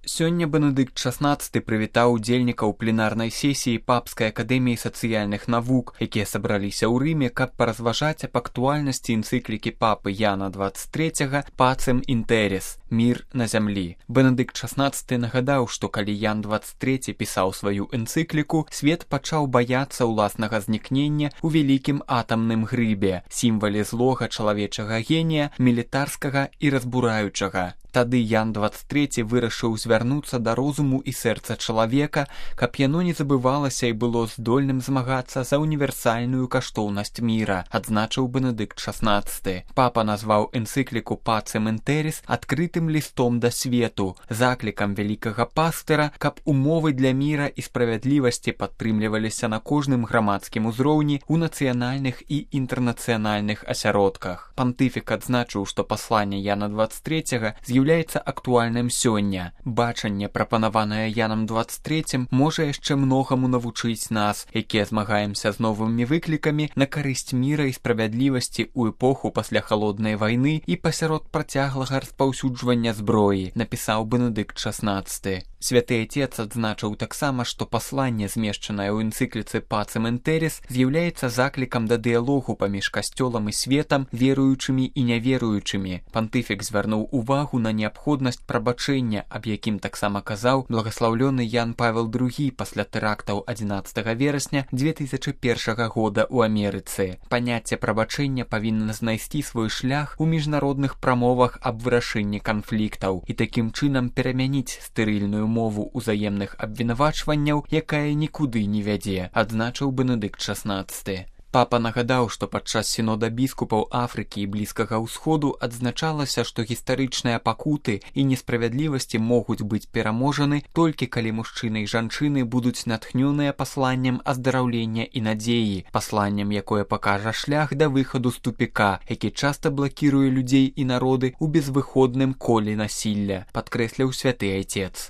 Сёння Бенедыкт XVI прывітаў удзельнікаў пленарнай сесіі Папскай акадэміі сацыяльных навук, якія сабраліся ў Рыме, каб паразважаць аб актуальнасці энцыклікі папы Яна XXIII «Pacem in terris» – «Мір на зямлі». Бенедыкт XVI нагадаў, што калі Ян XXIII пісаў сваю энцыкліку, свет пачаў баяцца ўласнага знікнення ў вялікім атамным грыбе, сімвале злога чалавечага генія, мілітарскага і разбураючага. Тады Ян XXIII вырашыў звярнуцца да розуму і сэрца чалавека, каб яно не забывалася і было здольным змагацца за універсальную каштоўнасць міра, адзначыў Бенедыкт XVI. Папа назваў энцыкліку «Pacem in terris» адкрытым лістом да свету, заклікам вялікага пастыра, каб умовы для міра і справядлівасці падтрымліваліся на кожным грамадскім узроўні ў нацыянальных і інтэрнацыянальных асяродках. Пантыфік адзначыў, што пасланне Яна XXIII з'яўляецца актуальным сёння. Бачанне, прапанаванае Янам XXIII, можа яшчэ многаму навучыць нас, якія змагаемся з новымі выклікамі на карысць міра і справядлівасці ў эпоху пасля халоднай вайны і пасярод працяглага распаўсюджвання зброі, напісаў Бенедыкт XVI. Святы Отец адзначыў таксама, што пасланне, змешчанае ў энцыкліцы «Pacem in terris», з'яўляецца заклікам да дыялогу паміж касцёлам і светам, веруючымі і няверуючымі. Пантыфік звярнуў увагу на неабходнасць прабачэння, аб якім таксама казаў благаслаўлёны Ян Павел II пасля тэрактаў 11 верасня 2001 года ў Амерыцы. Паняцце прабачэння павінна знайсці свой шлях у міжнародных прамовах аб вырашэнні канфліктаў і такім чынам перамяніць стэрыльную мову ўзаемных абвінавачванняў, якая нікуды не вядзе, адзначыў Бенедыкт XVI. Папа нагадаў, што падчас сінода біскупаў Афрыкі і Блізкага ўсходу адзначалася, што гістарычныя пакуты і несправядлівасці могуць быць пераможаны толькі калі мужчыны і жанчыны будуць натхнёныя пасланнем аздараўлення і надзеі, пасланнем, якое пакажа шлях да выхаду з тупіка, які часта блакіруе людзей і народы ў безвыходным коле насілля, падкрэсліў святы Отец.